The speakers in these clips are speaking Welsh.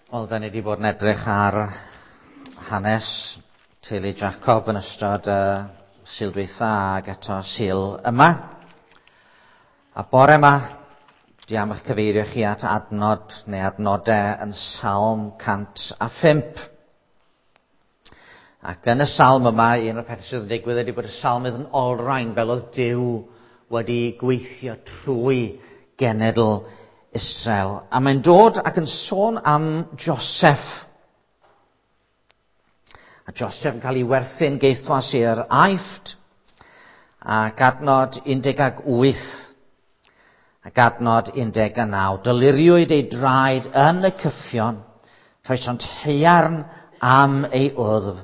Wel, da ni wedi bod yn edrych ar hanes teulu Jacob yn ystod y Sul dwytha ac eto Sul yma. A bore yma, dwi am eich cyfeirio chi at adnod neu adnodau yn Salm 105. Ac yn y salm yma, un o'r pethau sydd yn digwydd ydy bod y salmydd yn olrhain fel oedd Duw wedi gweithio trwy genedl Israel. A mae'n dod ac yn sôn am Joseph. A Joseph yn cael ei werthu'n geithwas i'r Aifft. Ac adnod 18 ac adnod 19. Dyluriwyd ei draed yn y cyffion, rhoesont haearn am ei wddf,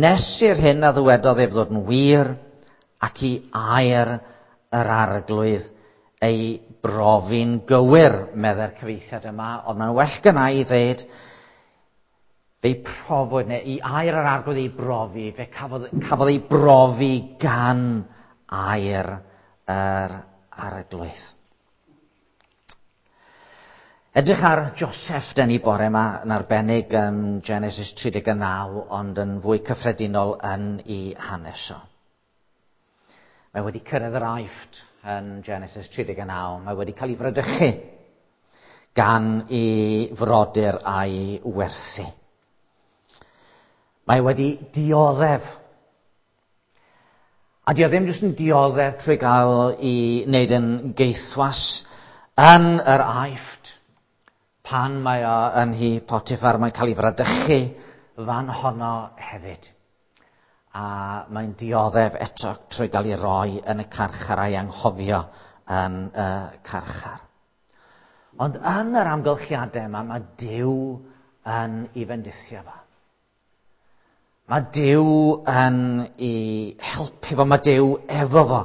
nes i'r hyn a ddywedodd ef ddod yn wir, ac i air yr Arglwydd ei brofi'n gywir, meddai'r cyfieithiad yma, ond mae'n well gynna i ddeud, fe'i profwyd, neu i air yr Arglwydd ei brofi, fe cafodd, cafodd ei brofi gan air yr Arglwydd. Edrych ar Joseph den ni bore yma yn arbennig yn Genesis 39, ond yn fwy cyffredinol yn ei hanes o. Mae wedi cyrraedd yr Aifft yn Genesis 39. Mae wedi cael ei fradychu gan ei frodyr a'i werthu. Mae wedi dioddef. A dio ddim jyst yn dioddef trwy gael ei wneud yn geithwas yn yr Aifft. Pan mae o yn nhŷ Potiphar, mae'n cael ei fradychu fan honno hefyd. A mae'n dioddef eto trwy gael ei roi yn y carchar a'i anghofio yn y carchar. Ond yn yr amgylchiadau yma, mae Duw yn ei fendithio fo. Mae Duw yn ei helpu fo, mae Duw efo fo.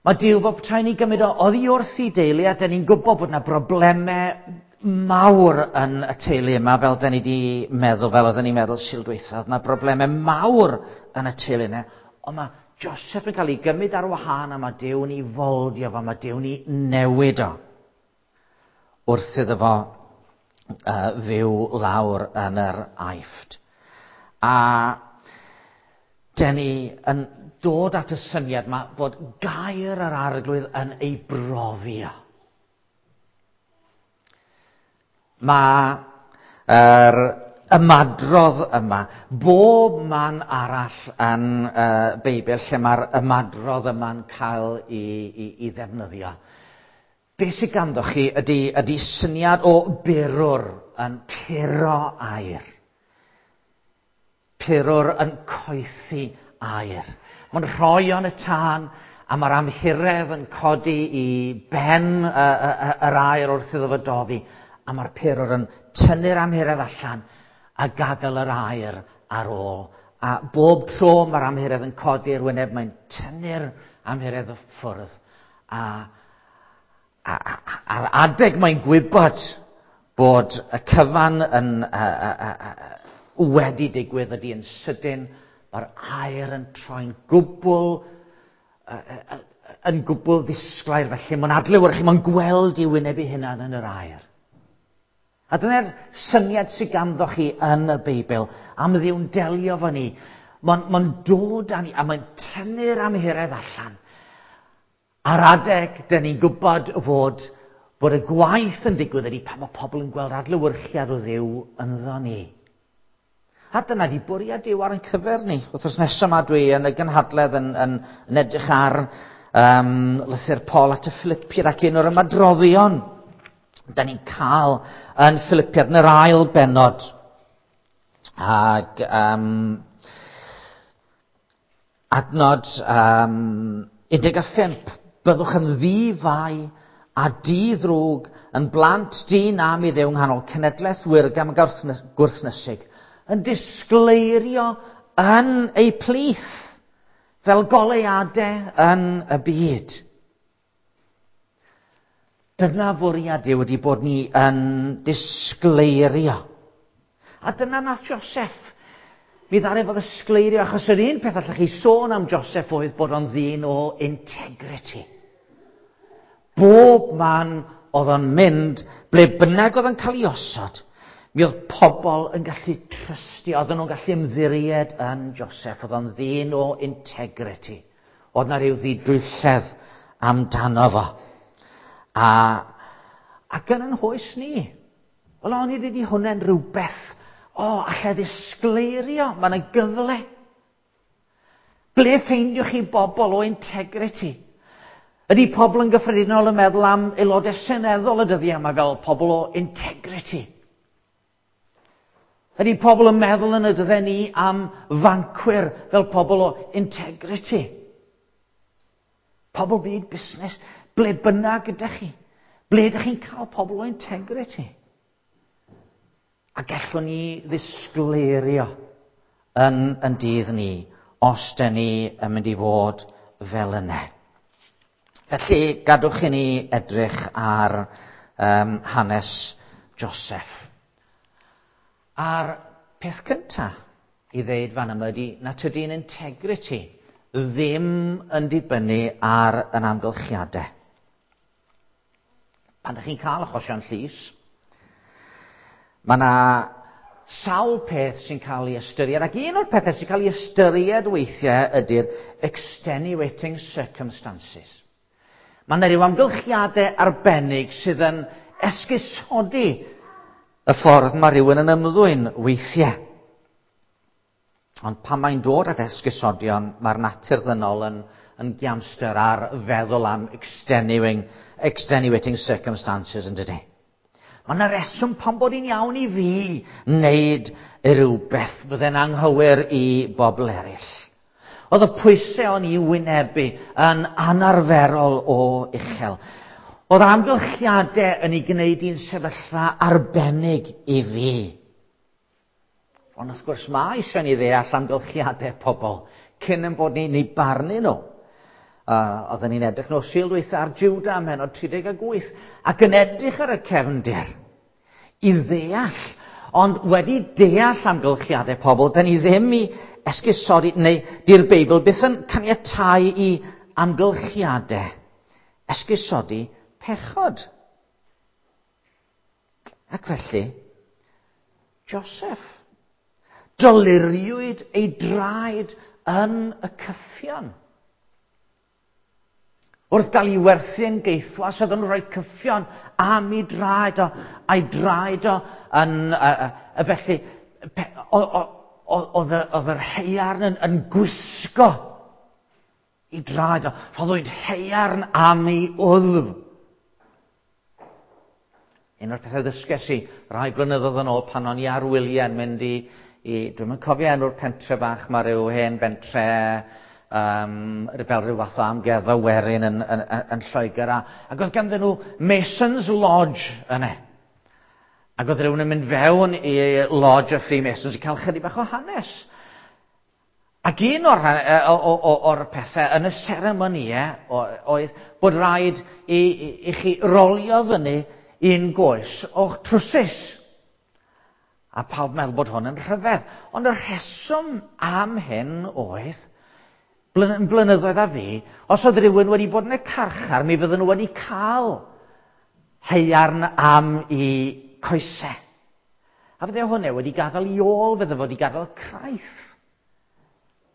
Mae Duw bob tra'n ei gymryd o oddi wrth ei deulu, a dyn ni'n gwybod bod yna broblemau mawr yn y teulu yma, fel dyn ni wedi meddwl, fel oedden ni'n meddwl Sul dwytha, oedd yna broblemau mawr yn y teulu yna. Ond mae Joseph yn cael ei gymryd ar wahân a mae Duw yn ei foldio fo, mae Duw yn ei newid o wrth iddo fo fyw lawr yn yr Aifft. A dyn ni yn dod at y syniad yma bod gair yr Arglwydd yn ei brofi o. Mae yr ymadrodd yma, bob man arall yn y Beibl lle mae'r ymadrodd yma'n cael ei ddefnyddio. Be sydd ganddo chi ydy syniad o berwr yn puro aer. Purwr yn coethi aer. Mae'n rhoi o'n y tân a mae'r amhuredd yn codi i ben yr aer wrth iddo fo doddi. A mae'r purwr yn tynnu'r amhuredd allan a gadael yr aer ar ôl. A bob tro mae'r amhuredd yn codi i'r wyneb, mae'n tynnu'r amhuredd o ffwrdd. A a'r adeg mae'n gwybod bod y cyfan yn wedi digwydd ydy yn sydyn, mae'r aer yn troi'n gwbl ddisglair, felly mae'n adlewyrchu, mae'n gweld ei wyneb ei hunan yn yr aer. A dyna'r syniad sydd ganddo chi yn y Beibl am Dduw'n delio fo ni. Mae'n dod â ni a mae'n tynnu'r amhuredd allan. Ar adeg, dyn ni'n gwybod fod y gwaith yn digwydd ydy pan mae pobl yn gweld adlewyrchiad o Dduw ynddo ni. A dyna di bwriad Duw ar ein cyfer ni. Wythnos nesaf yma dwi yn y gynhadledd yn edrych ar lythyr Paul at y Philippiaid ac un o'r ymadroddion da ni'n cael yn Philippiaid yn yr ail bennod. Ac adnod 15, byddwch yn ddi-fai a di-ddrwg yn blant dyn am i Dduw nghanol cenedlaeth wirgam ac gwrthnysig, yn disgleirio yn eu plith fel goleuadau yn y byd. Dyna fwriad Duw wedi bod ni yn disgleirio. A dyna nath Joseph. Mi ddaru fo ddisgleirio, achos yr un peth allech chi sôn am Joseph oedd bod o'n ddyn o integrity. Bob man oedd o'n mynd, ble bynnag oedd o'n cael ei osod, Mi oedd pobl yn gallu trystio, oedden nhw'n gallu ymddiried yn Joseph, oedd o'n ddyn o integrity. Oedd na rhyw ddidwylledd amdano fo. A, ac yn yn hoes ni, wel o'n i wedi hwnna'n rhywbeth, o, allai ddisgleirio, mae yna gyfle. Ble ffeindiwch chi bobl o integrity? Ydy pobl yn gyffredinol yn meddwl am aelodau seneddol y dyddiau yma fel pobl o integrity? Ydy pobl yn meddwl yn y dyddiau ni am fancwyr fel pobl o integrity? Pobl byd busnes, ble bynnag ydych chi? Ble ydych chi'n cael pobl o integrity? A gallwn ni ddisgleirio yn, yn dydd ni os dyn ni yn mynd i fod fel yna. Felly, gadwch i ni edrych ar um, hanes Joseph. A'r peth cyntaf i ddeud fan yma ydy na tydi'n integrity ddim yn dibynnu ar yn amgylchiadau. Pan ydych chi'n cael achosion llys, mae yna sawl peth sy'n cael ei ystyried, ac un o'r pethau sy'n cael ei ystyried weithiau ydy'r extenuating circumstances. Mae yna ryw amgylchiadau arbennig sydd yn esgusodi y ffordd mae rhywun yn ymddwyn weithiau. Ond pan mae'n dod at esgusodion, mae'r natur ddynol yn, yn giamster ar feddwl am extenuating, extenuating circumstances yn dydy. Mae yna reswm pan bod hi'n iawn i fi wneud rhywbeth fydde'n anghywir i bobl eraill. Oedd y pwysau o'n i wynebu yn anarferol o uchel. Oedd amgylchiadau yn ei gwneud i'n sefyllfa arbennig i fi. Ond wrth gwrs mae eisiau ni ddeall amgylchiadau pobl cyn yn bod ni'n ei barnu nhw. Oedden ni'n edrych nos Sul dwytha ar Juda ym mhennod 38 ac yn edrych ar y cefndir i ddeall. Ond wedi deall amgylchiadau pobl, da ni ddim i esgusodi, neu di'r Beibl byth yn caniatáu i amgylchiadau esgusodi pechod. Ac felly, Joseph, doluriwyd ei draed yn y cyffion. Wrth gael ei werthu yn geithwas, oedd yn rhoi cyffion am ei draed o, a'i draed o yn, uh, felly, oedd yr heiarn yn, yn gwisgo i draed o. Rhoddwyd heiarn am ei wddf. Un o'r pethau ddysges i rai blynyddoedd yn ôl pan o'n i ar wyliau yn mynd i, i dwi'm yn cofio enw'r pentre bach, mae rhyw hen bentre um, fel rhyw fath o amgueddfa werin yn, yn, yn, yn Lloegr. A, ac oedd ganddyn nhw Mason's Lodge yna. Ac oedd rhywun yn mynd fewn i Lodge y Freemasons i cael chydig bach o hanes. Ac un o'r, o, o, o'r pethau yn y seremonïau oedd bod rhaid i, i, i chi rolio fyny un goes o'ch trwsus. A pawb meddwl bod hwn yn rhyfedd. Ond y rheswm am hyn oedd blynyddoedd a fi, os oedd rhywun wedi bod yn y carchar, mi fydden nhw wedi cael heiarn am i coesau. A fydde hwnna wedi gadael i ôl, fydde wedi gadael craith.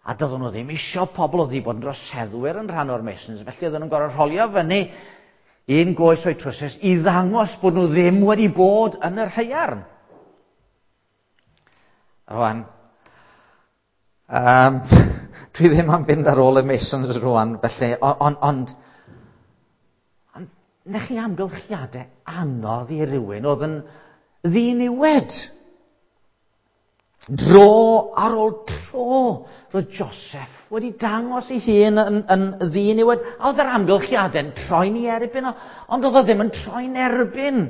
A doedden nhw ddim isio pobl oedd wedi bod yn droseddwyr yn rhan o'r Masons, felly oedden nhw'n gorfod rholio fyny un goes o'i trwsus i ddangos bod nhw ddim wedi bod yn yr heiarn. Rwan, um, dwi ddim am fynd ar ôl y Masons rwan, felly, ond, ond, ond, na chi amgylchiadau anodd i rywun oedd yn ddiniwed. Dro ar ôl tro, roedd Joseph wedi dangos ei hun yn, yn ddiniwed. A oedd yr amgylchiadau'n troi'n ei erbyn o, ond oedd o ddim yn troi'n erbyn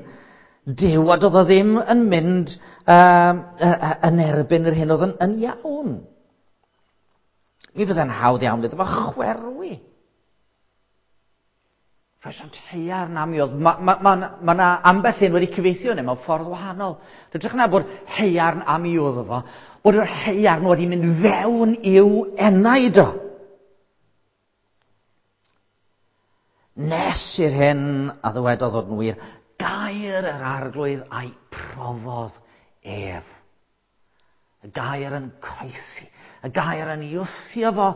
Duw, a doedd o ddim yn mynd um, yn erbyn yr hyn oedd yn, yn iawn. Mi fydde'n hawdd iawn iddo fo chwerwi. Rhoesant haearn am i oedd. Mae ma, ma, ma, ma ambell un wedi cyfeithio hynny mewn ffordd wahanol. Rydych na bod haearn am i oedd fo, bod yr haearn wedi mynd fewn i'w enaid o. Nes i'r hyn a ddywedodd fod yn wir, gair yr arglwydd a'i profodd ef. Y gair yn croesi, y gair yn ei wthio fo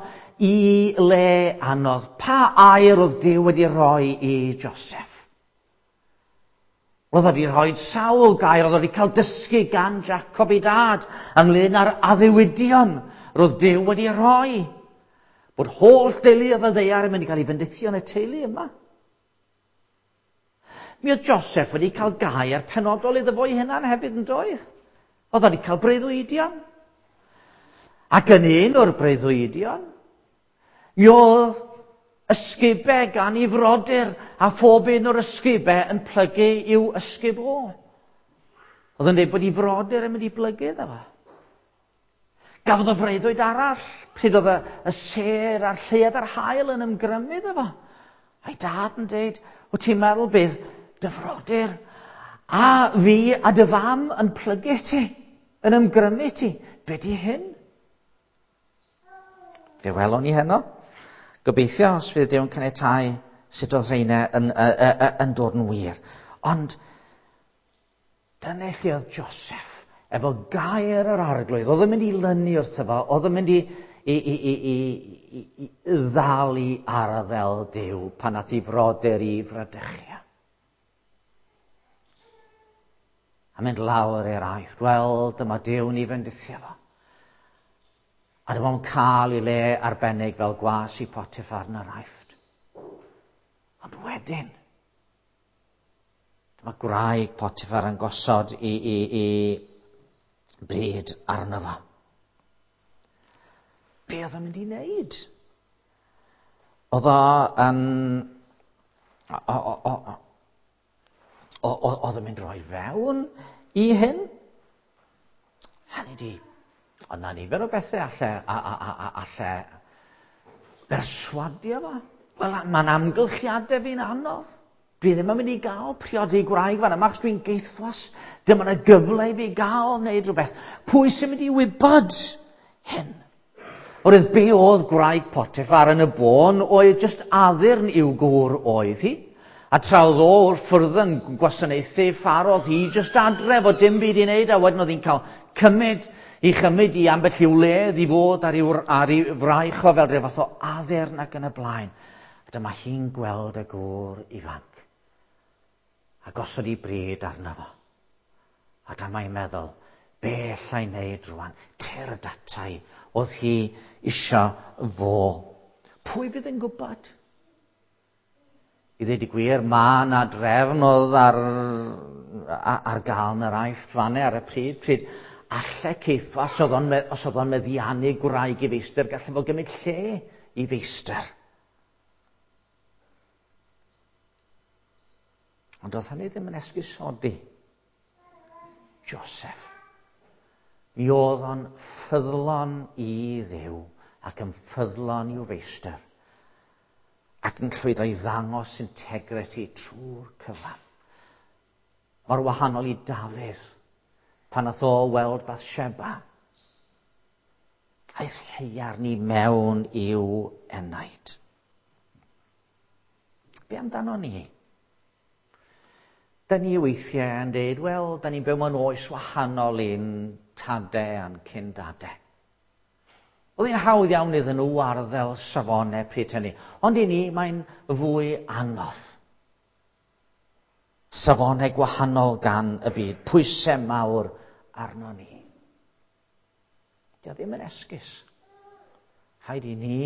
i le anodd. Pa air oedd Duw wedi rhoi i Joseph? Roedd wedi rhoi sawl gair, oedd wedi cael dysgu gan Jacob ei dad ynglyn â'r addewidion roedd Duw wedi rhoi. Bod holl deulu y ddaear yn mynd i gael ei fendithio yn y teulu yma. Mi oedd Joseph wedi cael gair penodol iddo fo'i hunan hefyd yn doedd. Oedd wedi cael breuddwydion. Ac yn un o'r breuddwydion, mi oedd ysgubau gan ei frodyr a phob un o'r ysgubau yn plygu i'w ysgub o. Oedd yn dweud bod ei frodyr yn mynd i blygu iddo fo. Gafodd o freuddwyd arall pryd oedd y sêr a'r lleuad a'r haul yn ymgrymu iddo fo. A'i dad yn dweud, wyt ti'n meddwl bydd dy frodyr a fi a dy fam yn plygu ti, yn ymgrymu ti. Be di hyn? Fe welwn ni heno. Gobeithio, os fydd Duw'n caniatáu, sut oedd rheina yn, yn, yn dod yn wir. Ond dyna lle oedd Joseph, efo gair yr arglwydd. Oedd yn mynd i lynu wrtho fo, oedd yn mynd i, i, i, i, i, i, i ddal i arddel Duw pan nath i frodyr i fradychia. A mynd lawr i'r Aifft. Wel, dyma Duw'n i fendithio fo. A dyma fo'n cael ei le arbennig fel gwas i Potiphar yn yr Aifft. Ond wedyn, dyma gwraig Potiphar yn gosod i, i, i bryd arno fo. Be oedd o'n mynd i wneud? Oedd o yn... Oedd o'n mynd roi fewn i hyn? Hynny di, oedd na nifer o bethau alle, a, a, a, a, alle berswadio fo. Wel, mae'n amgylchiadau fi'n anodd. Dwi ddim yn mynd i gael priodi gwraig fan yma, achos dwi'n geithwas. Dyma yna gyfle i fi gael wneud rhywbeth. Pwy sy'n mynd i wybod hyn? Oherwydd be oedd gwraig Potiphar yn y bôn oedd just addurn i'w gŵr oedd hi. A tra oedd o wrth ffwrdd yn gwasanaethu Pharo, oedd hi just adre fo dim byd i wneud, a wedyn oedd hi'n cael cymryd i chymryd i ambell i'w wledd i fod ar ei, ar ei fraich o fel rhyw fath o addurn ac yn y blaen. A dyma hi'n gweld y gŵr ifanc. A gosod ei bryd arno fo. A dyma hi'n meddwl, be allai wneud rwan? Tyrd atai, oedd hi isio fo. Pwy fydd yn gwybod? I ddweud y gwir, mae yna drefn oedd ar, ar gael yn yr Aifft fanne ar y pryd, pryd alle Ceithwas, os oedd o'n, os oedd o'n meddiannu gwraig i feistr, gallai fo gymryd lle i feistr. Ond oedd hynny ddim yn esgusodi Joseph. Mi oedd o'n ffyddlon i Dduw ac yn ffyddlon i'w feistr ac yn llwyddo i ddangos integrity trwy'r cyfan. Mor wahanol i Dafydd pan nath o weld Bathsheba. Aeth haearn i mewn i'w enaid. Be amdano ni? Da ni weithiau yn dweud, wel, da ni'n byw mewn oes wahanol i'n tadau a'n cyn-dadau. Oedd hi'n hawdd iawn iddyn nhw arddel safonau pryd hynny, ond i ni mae'n fwy anodd. Safonau gwahanol gan y byd, pwysau mawr arno ni. Dio ddim yn esgus. Rhaid i ni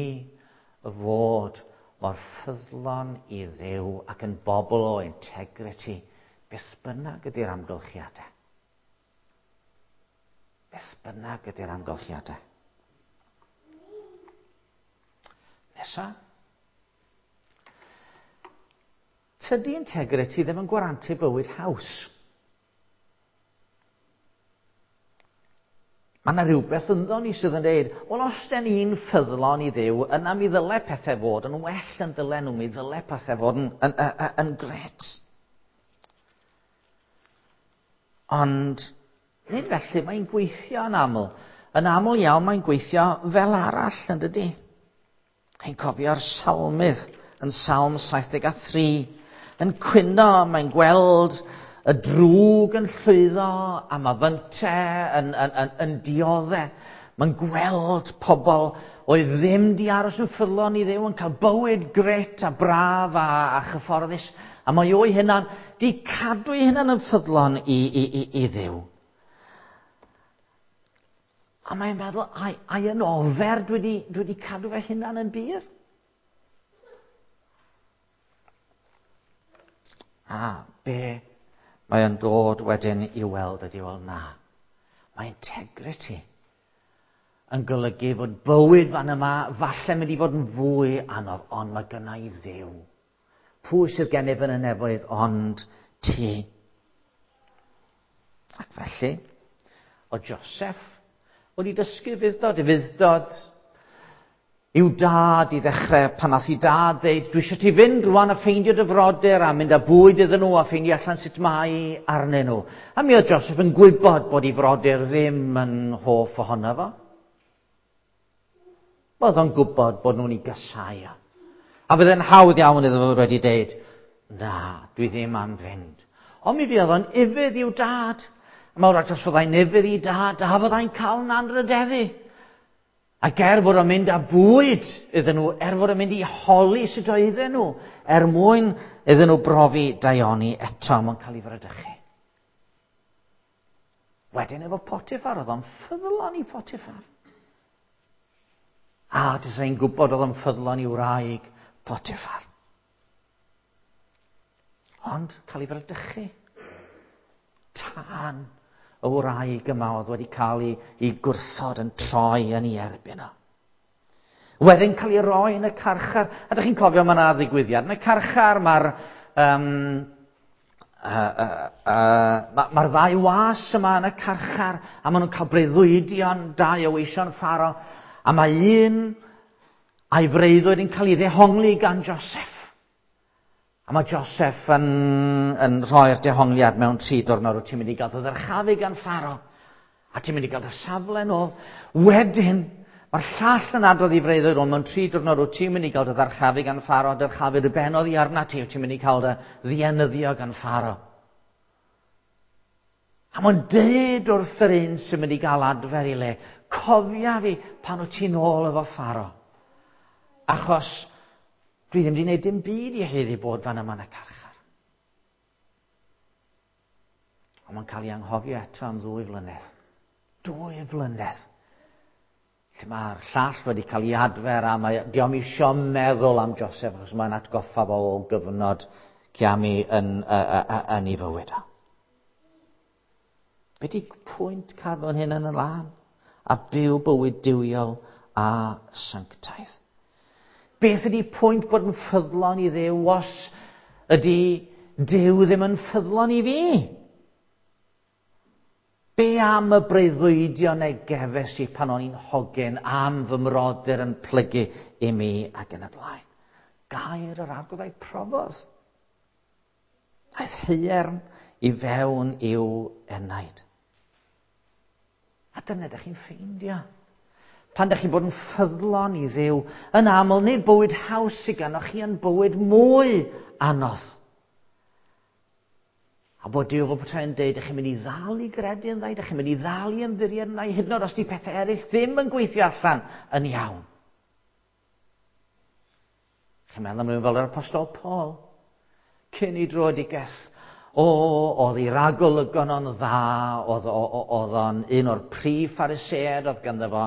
fod mor ffyddlon i Dduw ac yn bobl o integrity, beth bynnag ydy'r amgylchiadau. Beth bynnag ydy'r amgylchiadau. Nesa. Tydi integrity ddim yn gwarantu bywyd haws. Mae yna rhywbeth ynddo ni sydd yn dweud, wel os den ni'n ffyddlon i Dduw, yna mi ddyle pethau fod yn well yn dylen nhw, mi ddyle pethau fod yn, yn, yn, yn gret. Ond nid felly mae'n gweithio yn aml. Yn aml iawn mae'n gweithio fel arall, yn dydy? Chi'n cofio'r salmydd yn Salm 73. Yn cwyno, mae'n gweld y drwg yn llwyddo a mae fynte yn diodde. Mae'n gweld pobl oedd ddim di aros yn ffyddlon i Dduw yn cael bywyd gret a braf a chyfforddus. A mae o'i hunan di cadw ei hunan yn ffyddlon i Dduw. A mae'n meddwl, ai yn ofer dwi wedi cadw fy hunan yn bur? A be mae o'n dod wedyn i weld ydy, wel na. Mae integrity yn golygu fod bywyd fan yma falle mynd i fod yn fwy anodd, ond mae gynna i Dduw. Pwy sydd gennyf yn y nefoedd ond ti? Ac felly, o Joseph wedi dysgu ufudd-dod i'w dad i ddechrau pan nath i dad ddeud, dwi eisiau ti fynd rwan a ffeindio dy frodyr a mynd â bwyd iddyn nhw a ffeindio allan sut mae arnyn nhw. A mi oedd Joseph yn gwybod bod ei frodyr ddim yn hoff ohono fo. Oedd o'n gwybod bod nhw'n ei gysau. A fydde'n hawdd iawn iddo fo wedi deud, na, dwi ddim am fynd. Ond mi fuodd o'n ufudd i'w dad. A mawr os fyddai'n ufudd i dad, a fyddai'n cael yn anrhydeddu. Ac er fod o'n mynd â bwyd iddyn nhw, er fod o'n mynd i holi sut oedden nhw, er mwyn iddyn nhw brofi daioni eto, mae'n cael ei fradychu. Wedyn efo Potiphar, oedd o'n ffyddlon i Potiphar. A dwi'n i'n gwybod oedd o'n ffyddlon i wraig Potiphar. Ond cael ei fradychu. Tân y wraig yma oedd wedi cael ei gwrthod yn troi yn ei erbyn o. Wedyn cael ei roi yn y carchar. A ydych chi'n cofio mae yna ddigwyddiad yn y carchar, mae'r ddau was yma yn y carchar, a maen nhw'n cael breuddwydion, dau o weision Pharo, a mae un a'i freuddwyd yn cael ei ddehongli gan Joseph. A mae Joseph yn rhoi'r dehongliad mewn 3 diwrnod, wyt ti'n mynd i gael dy ddyrchafu gan Pharo, a ti'n mynd i gael dy safle nôl. Wedyn, mae'r llall yn adrodd i freuddwyd, ond mewn 3 diwrnod wyt ti'n mynd i gael dy ddyrchafu gan Pharo, dyrchafu dy ben oddi arna ti, wyt ti'n mynd i gael dy ddienyddio gan Pharo. A mae'n deud wrth yr un sy'n mynd i gael adfer i le, cofia fi pan wyt ti'n ôl efo Pharo, achos dwi ddim wedi gwneud dim byd i haeddu bod fan yma yn y carchar. Ond mae'n cael ei anghofio eto am 2 flynedd. 2 flynedd. Lle mae'r llall wedi cael ei adfer a mae dio'm isio meddwl am Joseph achos mae'n atgoffa fo o gyfnod ciami yn ei fywyd o. Be di pwynt cadw'n hyn yn y lân? A byw bywyd duwiol a sanctaidd. Beth ydy pwynt bod yn ffyddlon i Dduw os ydy Duw ddim yn ffyddlon i fi? Be am y breuddwydion neu gefes i pan o'n i'n hogyn am fy mrodyr yn plygu i mi ac yn y blaen? Gair yr Arglwydd a'i profodd. Aeth haearn i fewn i'w enaid. A dyna ydych chi'n ffeindio. Pan ydych chi'n bod yn ffyddlon i Dduw, yn aml, nid bywyd haws sydd ganddoch chi, yn bywyd mwy anodd. A bod Duw fel petai'n deud, ydych chi'n mynd i ddal i gredu yn dda, ydych chi'n mynd i ddal i ymddiried yn dda, hyd yn oed os di pethau eraill ddim yn gweithio allan yn iawn. Chi'n meddwl am rhywun fel yr Apostol Paul, cyn i dröedigaeth, oedd ei ragolygon o'n dda, oedd o'n un o'r prif Phariseaid, oedd ganddo fo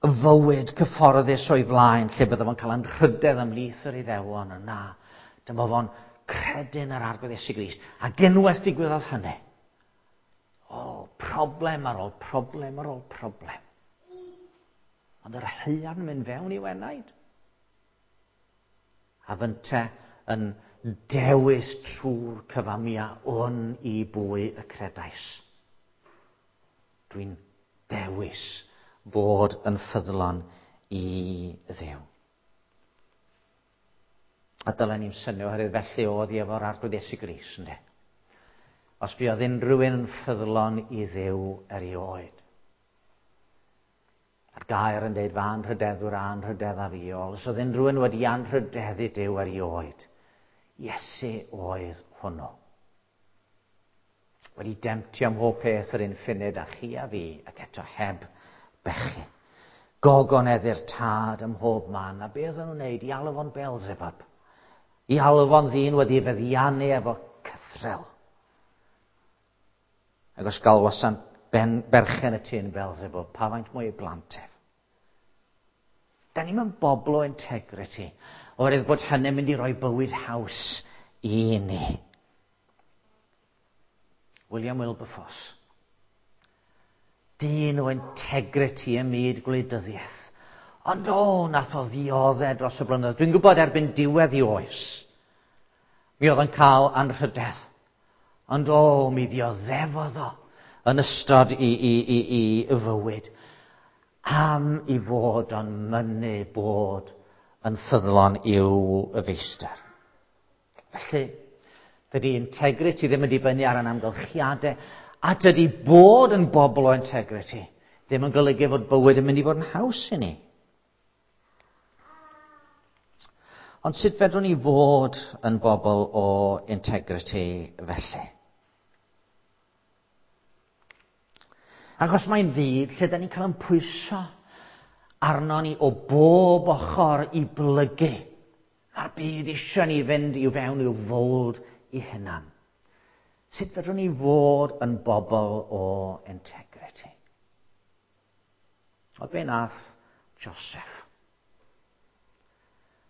fywyd cyfforddus o'i flaen, lle bydde fo'n cael anrhydedd ymhlith yr Iddewon, yna. Dyma fo'n credu'n yr Arglwydd Iesu Grist. A unwaith digwyddodd hynny, problem ar ôl problem ar ôl problem. Ond yr haearn yn mynd fewn i'w enaid. A fynte yn dewis trwy'r cyfamia wn i bwy y credais. Dwi'n dewis bod yn ffyddlon i Dduw. A dylen ni'n synnu oherwydd felly oedd hi efo'r Arglwydd Iesu Grist, ynde? Os buodd unrhyw un yn ffyddlon i Dduw erioed. A'r gair yn deud, fy anrhydeddwr a anrhydedda fi. Os oedd unrhyw un wedi anrhydeddu Duw erioed, Iesu oedd hwnnw. Wedi demtio ym mhob peth yr un ffunud a chi a fi, ac eto heb bechu. Gogoneddu'r tad ym mhob man, a be oedden nhw'n wneud? I alw fo'n Beelzebub. I alw fo'n ddyn wedi feddiannu efo cythrel. Ac os galwasant ben, berchen y tŷ yn Beelzebub, pa faint mwy ei blant ef? Da ni'n mynd bobl o integrity, oherwydd bod hynny'n mynd i roi bywyd haws i ni. William Wilberforce. Dyn o integrity ym myd gwleidyddiaeth. Ond o, nath o ddioddau dros y blynyddoedd. Dwi'n gwybod erbyn diwedd i oes, mi oedd yn cael anrhydedd. Ond o, mi ddioddefodd o yn ystod i, i, i, i fywyd. Am i fod o'n mynnu bod yn ffyddlon i'w feistr. Felly, dydy integrity ddim yn dibynnu ar yn amgylchiadau, a dydy bod yn bobl o integrity ddim yn golygu fod bywyd yn mynd i fod yn haws i ni. Ond sut fedrwn ni fod yn bobl o integrity felly? Achos mae'n fyd lle da ni'n cael yn pwyso arno ni o bob ochr i blygu. Mae'r byd eisiau ni fynd i'w fewn i'w fold i hunan. Sut fedrwn ni fod yn bobl o integrity? O be nath Joseph?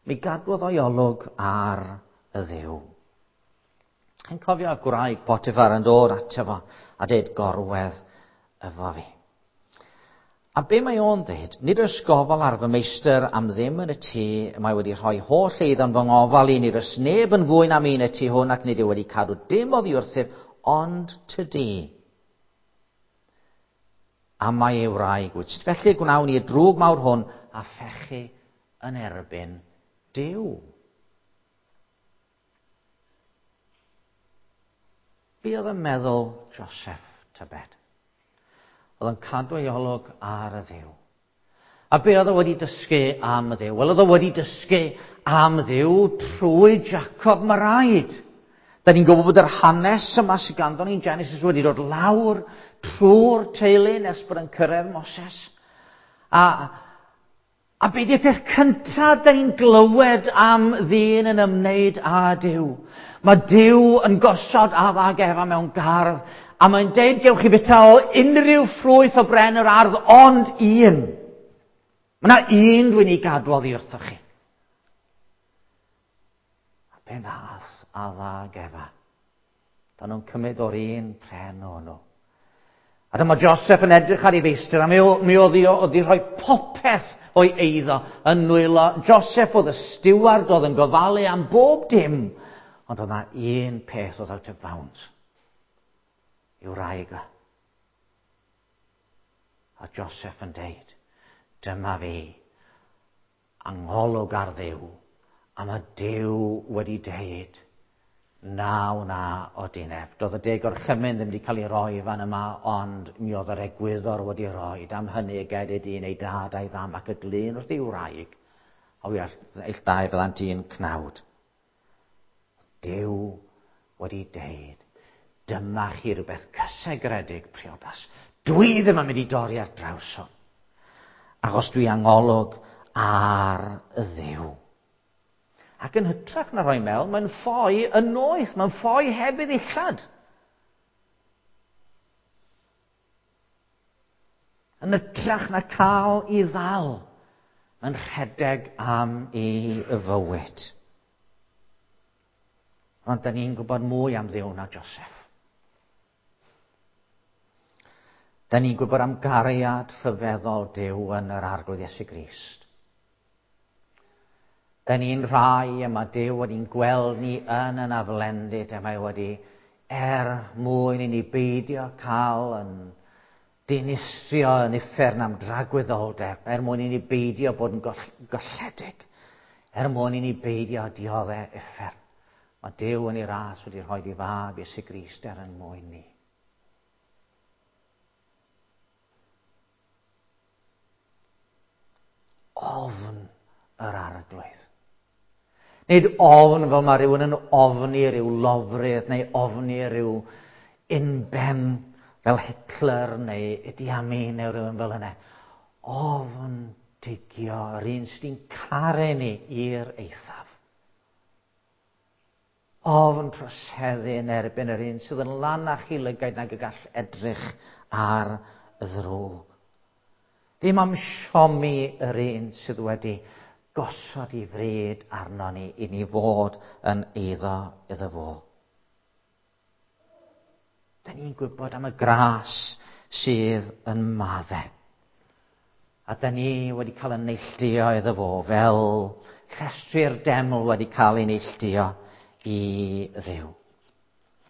Mi gadwodd o'i olwg ar y ddiw. Chi'n cofio gwraig Potiphar yn dod ato fo a dweud gorwedd efo fi. A be mae o'n dweud? Nid oes gofal ar fy meistr am ddim yn y tŷ, mae wedi rhoi holl eiddo'n fy ngofal i, nid oes neb yn fwy na mi yn y tŷ hwn ac nid yw wedi cadw dim oddi wrthyf, ond tydi. A mae ei wraig wyt. Sut felly gwnawn ni y drwg mawr hwn a phechu yn erbyn Duw? Be oedd yn meddwl Joseph, tybed? Oedd yn cadw ei olwg ar y ddiw. A be oedd o wedi dysgu am y ddiw? Wel, oedd o wedi dysgu am ddiw trwy Jacob Maraid. Da ni'n gwybod bod yr hanes yma sydd ganddo ni'n Genesis wedi dod lawr trwy'r teulu nes bod yn cyrraedd Moses. A, a be di'r peth cyntaf da ni'n glywed am ddyn yn ymwneud â Duw? Mae Duw yn gosod Adda ag Efa mewn gardd, a mae'n deud gewch chi fita o unrhyw ffrwyth o bren yr ardd, ond un. Mae yna un dwi'n ei gadw oddi wrthoch chi. A be nath Adda ag Efa? Da nhw'n cymryd o'r un pren o'n nhw. A dyma Joseph yn edrych ar ei feistr, a mi, mi oedd i rhoi popeth o'i eiddo yn nwylo. Joseph oedd y steward oedd yn gofalu am bob dim. Ond oedd na un peth oedd out of bounds. I'w wraig o. A Joseph yn deud, dyma fi, angolwg ar Dduw, a mae Duw wedi deud, na wna o dineb. Doedd y deg orchymyn ddim wedi cael ei roi fan yma, ond mi oedd yr egwyddor wedi rhoi. Am hynny y ged ei dyn ei dad a'i fam ac y glun wrth ei wraig, a wy eill dau fyddant un cnawd. Duw wedi deud, dyma chi rhywbeth cysegredig priodas. Dwi ddim yn mynd i dorri ar draws hwn. Achos dwi angolwg ar y Dduw. Ac yn hytrach na rhoi mewn, mae'n ffoi yn noeth, mae'n ffoi heb ei ddillad. Yn hytrach na cael i ddal, mae'n rhedeg am ei fywyd. Ond da ni'n gwybod mwy am Dduw na Joseph. Da ni'n gwybod am gariad rhyfeddol Duw yn yr Arglwydd Iesu Grist. Da ni'n rhai y mae Duw wedi'n gweld ni yn yn aflendid a mae wedi er mwyn i ni beidio cael yn dinistrio yn uffern am dragwyddoldeb, er mwyn i ni beidio bod yn golledig, er mwyn i ni beidio dioddau uffern. Mae Duw yn ei ras wedi rhoi i fab Iesu Grist er yn mwyn ni. Ofn yr arglwydd. Nid ofn fel mae rhywun yn ofni rhyw lofrudd neu ofni rhyw unben fel Hitler neu Idi Amin neu rhywun fel yna. Ofn digio yr un sydd caru ni i'r eithaf. Ofn troseddu yn erbyn yr un sydd yn lanach i lygaid nag y gall edrych ar y ddrwg. Dim am siomi yr un sydd wedi gosod i fryd arno ni i ni fod yn eiddo iddo fo. Da ni'n gwybod am y gras sydd yn maddau. A da ni wedi cael yn neilltuo iddo fo fel llestri'r deml wedi cael ei neilltuo i Dduw.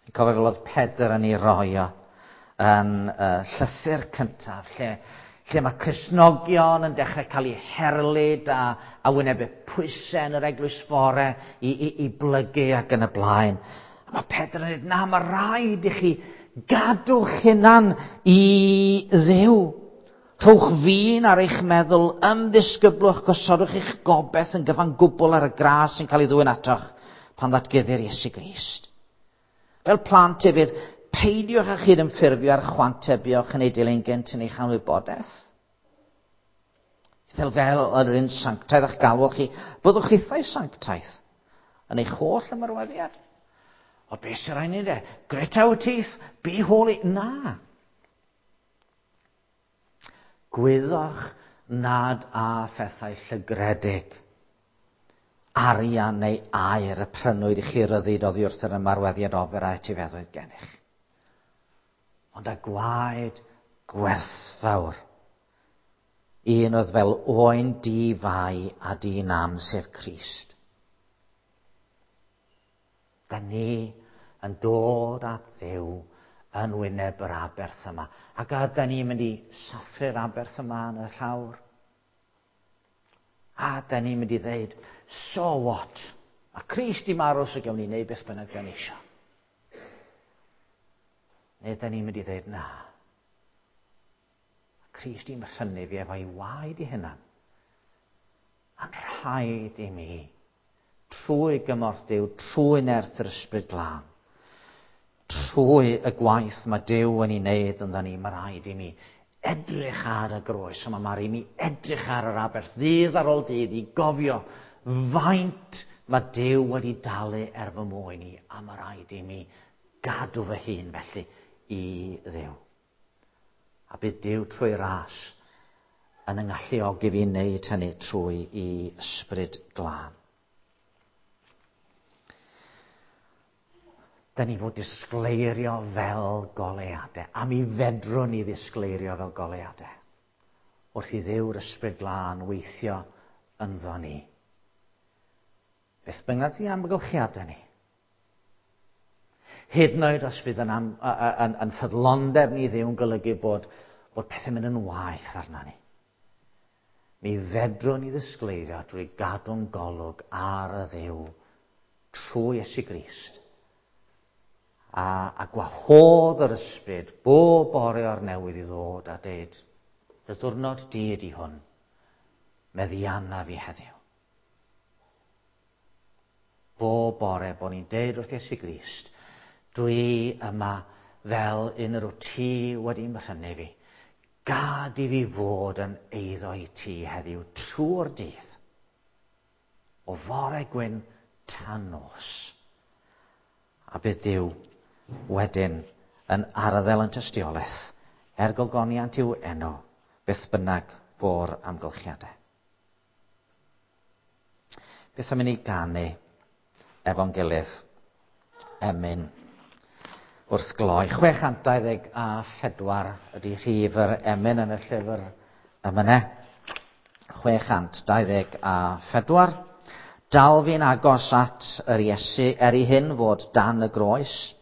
Fi'n cofio fel oedd Pedr yn ei roi o yn y llythyr cyntaf, lle, lle mae Cristnogion yn dechrau cael eu herlid a, a wynebu pwysau yn yr eglwys fore i, i, i blygu ac yn y blaen. A mae Pedr yn dweud, na, mae rhaid i chi gadw'ch hunan i Dduw. Rhowch fin ar eich meddwl, ymddisgyblwch, gosodwch eich gobeith yn gyfan gwbl ar y gras sy'n cael ei ddwyn atoch pan ddatguddir Iesu Grist. Fel plant hefyd, peidiwch â chyd-ymffurfio ar chwantau buoch yn ei dilyn gynt yn eich anwybodaeth. Fel fel yr un sanctaidd a'ch galwoch chi, byddwch chithau sanctaidd yn eich holl ymarweddiad. O beth sy'n rhaid ni de? Grit our teeth, be holy. Na. Gwyddoch nad a phethau llygredig, arian neu aur y prynwyd i chi ryddid oddi wrth yr ymarweddiad ofer a etifeddoedd gennych. Ond a gwaed gwerthfawr. Un oedd fel oen di-fai a di-nam, sef Crist. Da ni yn dod at Dduw yn wyneb yr aberth yma. Ac a da ni'n mynd i sathru'r aberth yma yn y llawr. A da ni'n mynd i ddeud, so what? A Crist i marw so gawn ni wneud beth bynnag da ni eisiau. Neu da ni'n mynd i ddeud, na. Crist i'n rhynnu fi efo'i waed i hunan. A'n rhaid i mi, trwy gymorth Duw, trwy nerth yr Ysbryd Glân, trwy y gwaith mae Duw yn ei wneud ynddo ni, mae rhaid i mi edrych ar y groes yma, mae rhaid i mi edrych ar yr aberth ddydd ar ôl dydd i gofio faint mae Duw wedi dalu er fy mwyn i, a mae rhaid i mi gadw fy hun felly i Dduw. A bydd Duw trwy ras yn yng ngalluogi fi wneud hynny trwy i ysbryd glân. Da ni fod disgleirio fel goleuadau, a mi fedrwn ni ddisgleirio fel goleuadau. Wrth i Dduw'r ysbryd glân weithio ynddo ni. Beth bynnag di amgylchiadau ni. Hyd yn oed os fydd yn, am, yn, yn ffyddlondeb ni Dduw yn golygu bod, bod pethau'n mynd yn waeth arna ni. Mi fedrwn ni ddisgleirio drwy gadw'n golwg ar y Dduw trwy Iesu Grist. A, a gwahodd yr ysbryd bob bore o'r newydd i ddod a deud, dy ddiwrnod di ydi hwn, meddianna fi heddiw. Bob bore bod ni'n deud wrth Iesu Grist, dwi yma fel un yr wyt ti wedi mhrynu fi. Gad i fi fod yn eiddo i ti heddiw trwy'r dydd. O fore gwyn tan nos. A bydd Duw wedyn yn arddel yn tystiolaeth er gogoniant i'w enw, beth bynnag fo'r amgylchiadau. Beth am i ni ganu efo'n gilydd emyn wrth gloi. 624 ydy rhif yr emyn yn y llyfr emynau. 624. Dal fi'n agos at yr Iesu er i hyn fod dan y groes.